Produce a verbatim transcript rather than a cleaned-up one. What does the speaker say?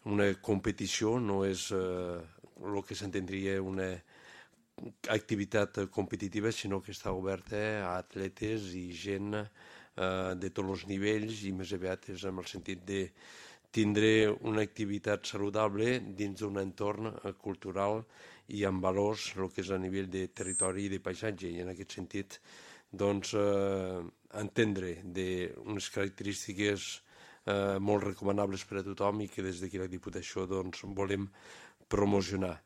una competició, no és eh, el que s'entendria una activitat competitiva, sinó que està oberta a atletes i gent eh, de tots els nivells, i més aviat és en el sentit de tindre una activitat saludable dins d'un entorn cultural i amb valors, el que és a nivell de territori i de paisatge, i en aquest sentit doncs, eh, entendre d'unes característiques eh, molt recomanables per a tothom i que des d'aquí la Diputació doncs, volem promocionar.